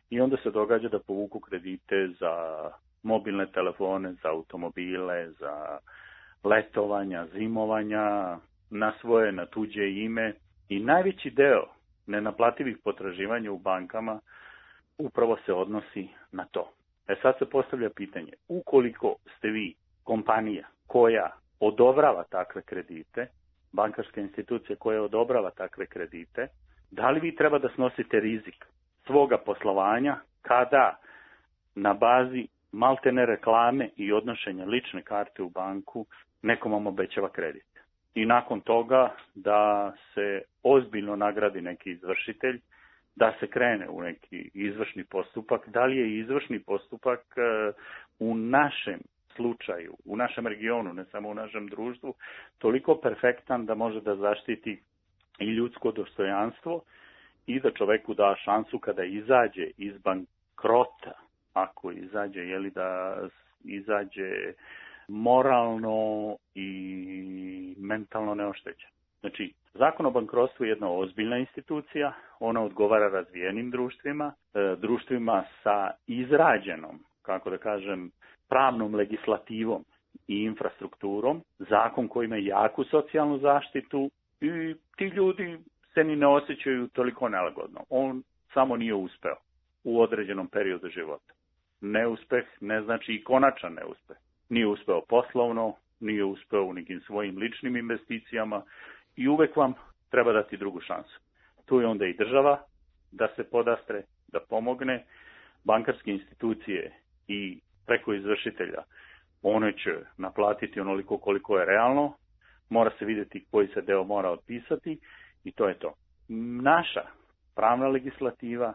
i onda se događa da povuku kredite za mobilne telefone, za automobile, za letovanja, zimovanja, na svoje, na tuđe ime i najveći deo nenaplativih potraživanja u bankama upravo se odnosi na to. Sad se postavlja pitanje, ukoliko ste vi kompanija koja odobrava takve kredite, bankarska institucija koja odobrava takve kredite, da li vi treba da snosite rizik svoga poslovanja kada na bazi maltene reklame i odnošenja lične karte u banku nekom vam obećava kredit. I nakon toga da se ozbiljno nagradi neki izvršitelj, da se krene u neki izvršni postupak. Da li je izvršni postupak u našem slučaju, u našem regionu, ne samo u našem društvu, toliko perfektan da može da zaštiti i ljudsko dostojanstvo i da čoveku da šansu kada izađe iz bankrota, ako izađe, da izađe moralno i mentalno neoštećen. Znači, Zakon o bankrotstvu je jedna ozbiljna institucija, ona odgovara razvijenim društvima, društvima sa izrađenom, kako da kažem, pravnom legislativom i infrastrukturom, zakon koji ima jaku socijalnu zaštitu i ti ljudi se ni ne osjećaju toliko nelagodno. On samo nije uspeo u određenom periodu života. Neuspeh ne znači i konačan neuspeh. Nije uspeo poslovno, nije uspeo u nekim svojim ličnim investicijama i uvek vam treba dati drugu šansu. Tu je onda i država da se podastre, da pomogne, bankarske institucije i preko izvršitelja. One će naplatiti onoliko koliko je realno, mora se vidjeti koji se deo mora otpisati i to je to. Naša pravna legislativa,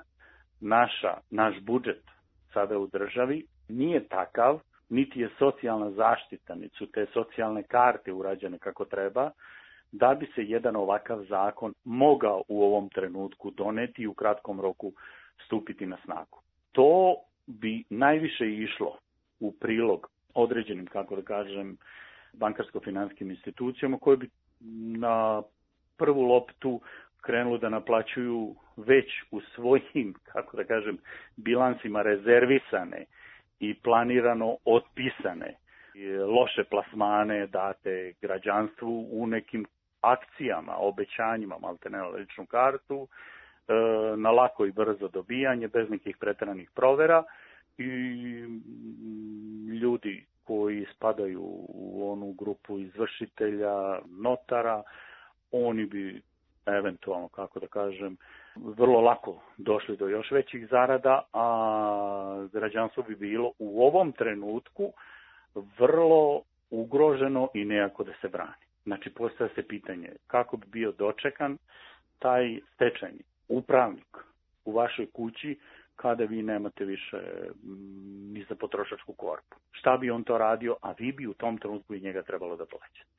naš budžet sada u državi nije takav, niti je socijalna zaštita, niti su te socijalne karte urađene kako treba, da bi se jedan ovakav zakon mogao u ovom trenutku doneti i u kratkom roku stupiti na snagu. To bi najviše išlo u prilog određenim, kako da kažem, bankarsko-finanskim institucijama koje bi na prvu loptu krenulo da naplaćuju već u svojim, kako da kažem, bilansima rezervisane i planirano otpisane loše plasmane date građanstvu u nekim akcijama, obećanjima, maltene na ličnu kartu, na lako i brzo dobijanje, bez nekih preteranih provera i ljudi koji spadaju u onu grupu izvršitelja, notara, oni bi eventualno, kako da kažem, vrlo lako došli do još većih zarada, a građanstvo bi bilo u ovom trenutku vrlo ugroženo i nejako da se brani. Znači, postavlja se pitanje kako bi bio dočekan taj stečajni upravnik u vašoj kući kada vi nemate više ni za potrošačku korpu. Šta bi on to radio, a vi bi u tom trenutku i njega trebalo da plaćate.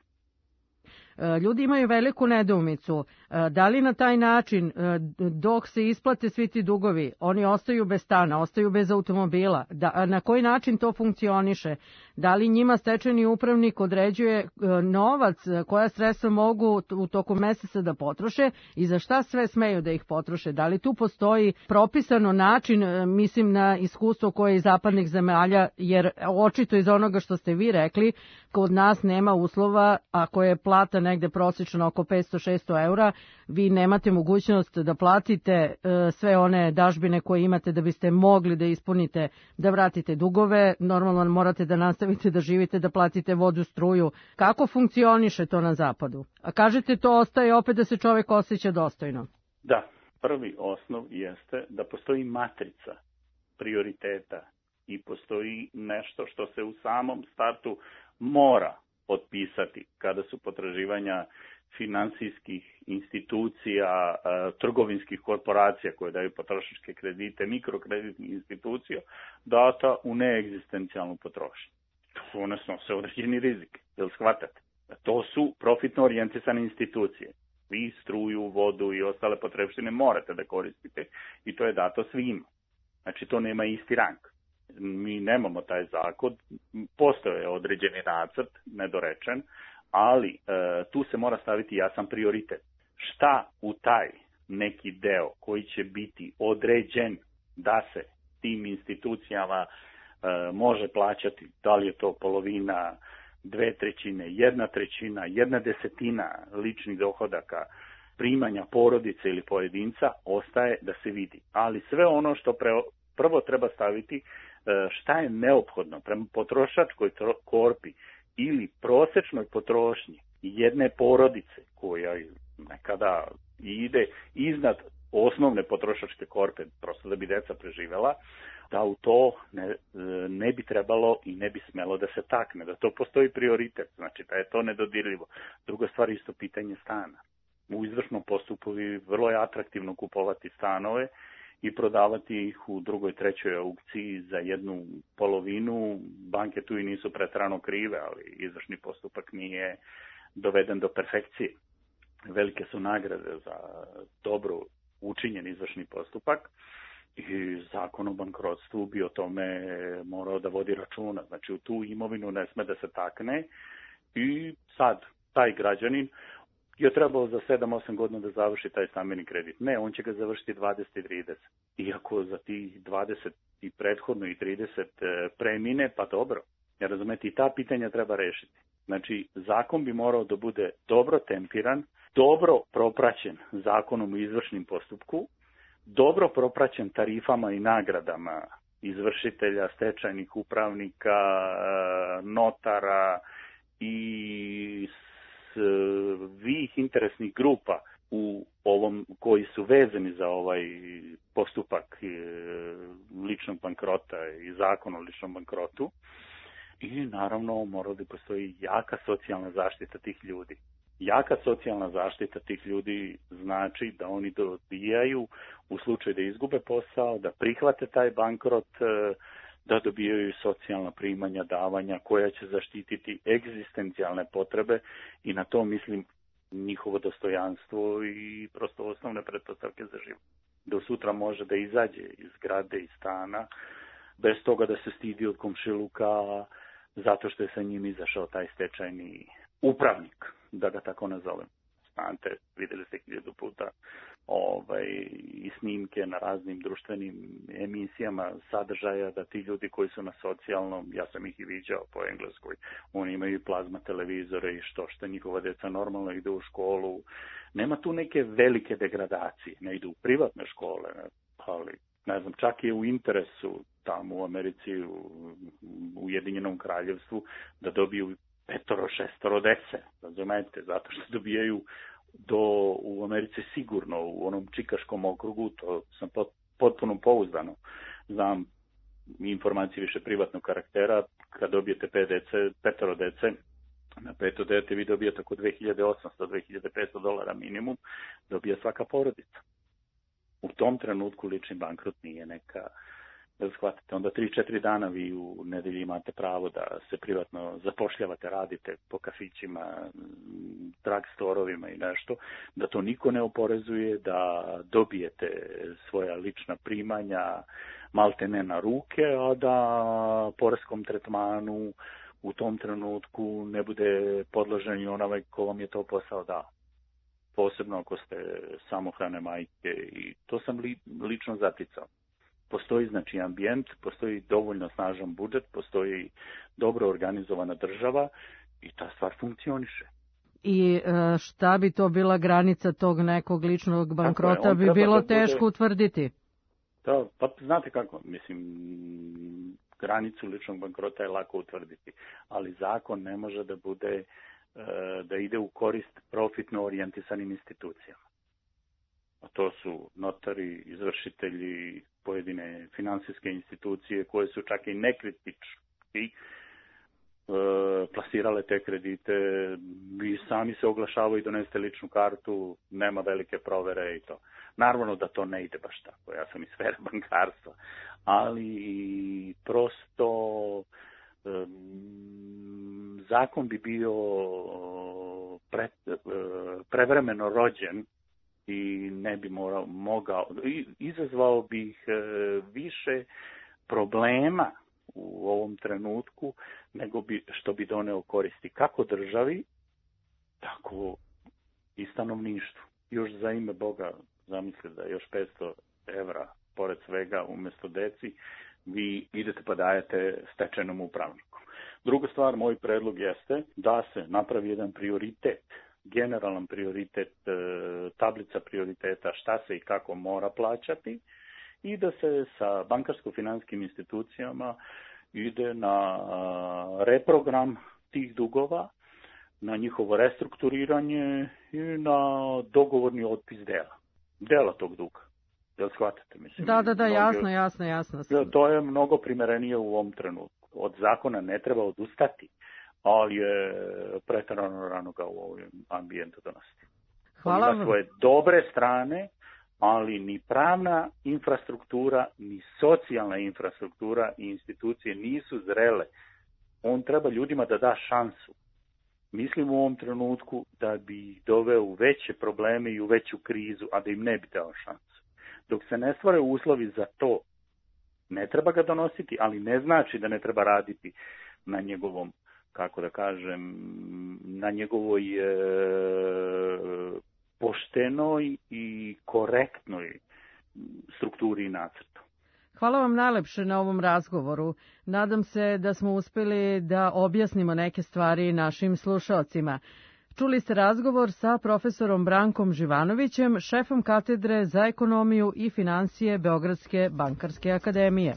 Ljudi imaju veliku nedoumicu. Da li na taj način, dok se isplate svi ti dugovi, oni ostaju bez stana, ostaju bez automobila? Na koji način to funkcioniše? Da li njima stečajni upravnik određuje novac, koja sredstva mogu u toku meseca da potroše i za šta sve smeju da ih potroše? Da li tu postoji propisano način, mislim na iskustvo koje je iz zapadnih zemalja, jer očito iz onoga što ste vi rekli, kod nas nema uslova, ako je plata negde prosječno oko 500-600 eura, vi nemate mogućnost da platite sve one dažbine koje imate da biste mogli da ispunite, da vratite dugove, normalno morate da nastavite da živite, da platite vodu, struju. Kako funkcioniše to na zapadu? A kažete to ostaje opet da se čovek osjeća dostojno. Da, prvi osnov jeste da postoji matrica prioriteta i postoji nešto što se u samom startu mora otpisati kada su potraživanja finansijskih institucija, trgovinskih korporacija koje daju potrošačke kredite, mikrokreditnih institucija, data u neegzistencijalnu potrošnju. One snose određeni rizik, jel shvatate? To su profitno orijentisane institucije. Vi struju, vodu i ostale potrebštine morate da koristite i to je dato svima. Znači to nema isti rang. Mi nemamo taj zakon, postoje određeni nacrt, nedorečen, ali tu se mora staviti jasan prioritet. Šta u taj neki deo koji će biti određen da se tim institucijama može plaćati, da li je to polovina, 2/3, 1/3, 1/10 ličnih dohodaka, primanja porodice ili pojedinca, ostaje da se vidi. Ali sve ono što prvo treba staviti, šta je neophodno prema potrošačkoj korpi ili prosečnoj potrošnji jedne porodice koja nekada ide iznad osnovne potrošačke korpe, prosto da bi deca preživela, da u to ne bi trebalo i ne bi smelo da se takne, da to postoji prioritet, znači da je to nedodirljivo. Druga stvar je isto pitanje stana. U izvršnom postupku vrlo je atraktivno kupovati stanove i prodavati ih u drugoj, trećoj aukciji za jednu polovinu. Banke tu i nisu preterano krive, ali izvršni postupak nije doveden do perfekcije. Velike su nagrade za dobro učinjen izvršni postupak i zakon o bankrotstvu bi o tome morao da vodi računa. Znači u tu imovinu ne sme da se takne i sad taj građanin je trebao za 7-8 godina da završi taj stambeni kredit. Ne, on će ga završiti 20 i 30. Iako za tih 20 i prethodno i 30 premine, pa dobro. Ja razumete, i ta pitanja treba rešiti. Znači, zakon bi morao da bude dobro tempiran, dobro propraćen zakonom u izvršnim postupku, dobro propraćen tarifama i nagradama izvršitelja, stečajnih upravnika, notara i svih interesnih grupa u ovom koji su vezani za ovaj postupak ličnog bankrota i zakon o ličnom bankrotu. I naravno mora da postoji jaka socijalna zaštita tih ljudi. Jaka socijalna zaštita tih ljudi znači da oni dobijaju u slučaju da izgube posao, da prihvate taj bankrot, da dobijaju socijalna primanja, davanja koja će zaštititi egzistencijalne potrebe i na to mislim njihovo dostojanstvo i prosto osnovne pretpostavke za život. Do sutra može da izađe iz zgrade i stana bez toga da se stidi od komšiluka zato što je sa njim izašao taj stečajni upravnik, da ga tako nazovem. Znate, videli ste 1000 puta i snimke na raznim društvenim emisijama sadržaja da ti ljudi koji su na socijalnom, ja sam ih i viđao po Engleskoj, oni imaju plazma televizore i što njihova deca normalno ide u školu. Nema tu neke velike degradacije, ne idu u privatne škole, ali ne znam, čak je u interesu tamo u Americi, u Ujedinjenom kraljevstvu, da dobiju 5-6 dece, razumete, zato što dobijaju u Americi sigurno, u onom čikaškom okrugu, to sam potpuno pouzdano. Znam informacije više privatnog karaktera, kad dobijete 5 dece, na 5 dete vi dobijete oko $2.800-2.500 minimum, dobija svaka porodica. U tom trenutku lični bankrot nije neka, da shvatite, onda 3-4 dana vi u nedelji imate pravo da se privatno zapošljavate, radite po kafićima, drug storovima i nešto, da to niko ne oporezuje, da dobijete svoja lična primanja malte ne na ruke, a da poreskom tretmanu u tom trenutku ne bude podložen i onaj ko vam je to posao dao. Posebno ako ste samohrane majke i to sam lično zaticao. Postoji znači ambijent, postoji dovoljno snažan budžet, postoji dobro organizovana država i ta stvar funkcioniše. I šta bi to bila granica tog nekog ličnog bankrota bi bilo teško utvrditi? Da, pa znate kako, mislim, granicu ličnog bankrota je lako utvrditi, ali zakon ne može da bude, da ide u korist profitno orijentisanim institucijama. A to su notari, izvršitelji, pojedine finansijske institucije koje su čak i nekritički plasirale te kredite i sami se oglašavaju, donesete ličnu kartu, nema velike provere i to. Naravno da to ne ide baš tako, ja sam iz sfere bankarstva, ali prosto zakon bi bio prevremeno rođen i ne bi mogao, izazvao bih više problema u ovom trenutku, nego što bi doneo koristi kako državi, tako i stanovništvu. Još za ime Boga, zamislite da još 500 evra pored svega umjesto deci, vi idete pa dajete stečajnom upravniku. Druga stvar, moj predlog jeste da se napravi jedan prioritet, generalan prioritet, tablica prioriteta šta se i kako mora plaćati i da se sa bankarsko-finanskim institucijama ide na reprogram tih dugova, na njihovo restrukturiranje i na dogovorni otpis dela tog duga. Jel shvatate? Mislim, da, jasno. To je mnogo primerenije u ovom trenutku. Od zakona ne treba odustati, ali je pretjerano rano ga u ovom ambijentu donositi. Hvala vam. Ima svoje dobre strane, ali ni pravna infrastruktura, ni socijalna infrastruktura i institucije nisu zrele. On treba ljudima da da šansu. Mislim u ovom trenutku da bi ih doveo u veće probleme i u veću krizu, a da im ne bi dao šansu. Dok se ne stvore uslovi za to, ne treba ga donositi, ali ne znači da ne treba raditi na njegovom, kako da kažem, na njegovoj poštenoj i korektnoj strukturi i nacrtu. Hvala vam najlepše na ovom razgovoru. Nadam se da smo uspjeli da objasnimo neke stvari našim slušalcima. Čuli ste razgovor sa profesorom Brankom Živanovićem, šefom katedre za ekonomiju i financije Beogradske bankarske akademije.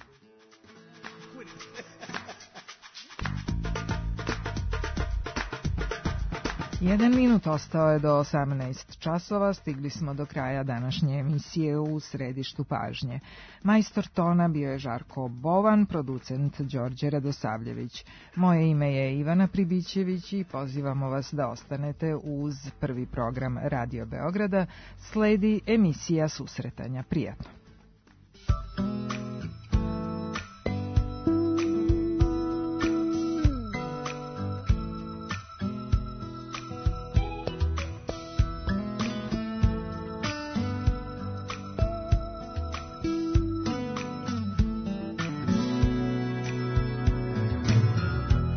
Jedan minut ostao je do 18 časova, stigli smo do kraja današnje emisije u Središtu pažnje. Majstor tona bio je Žarko Bovan, producent Đorđe Radosavljević. Moje ime je Ivana Pribićević i pozivamo vas da ostanete uz prvi program Radio Beograda. Sledi emisija Susretanja. Prijatno.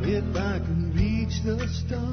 If I can reach the stars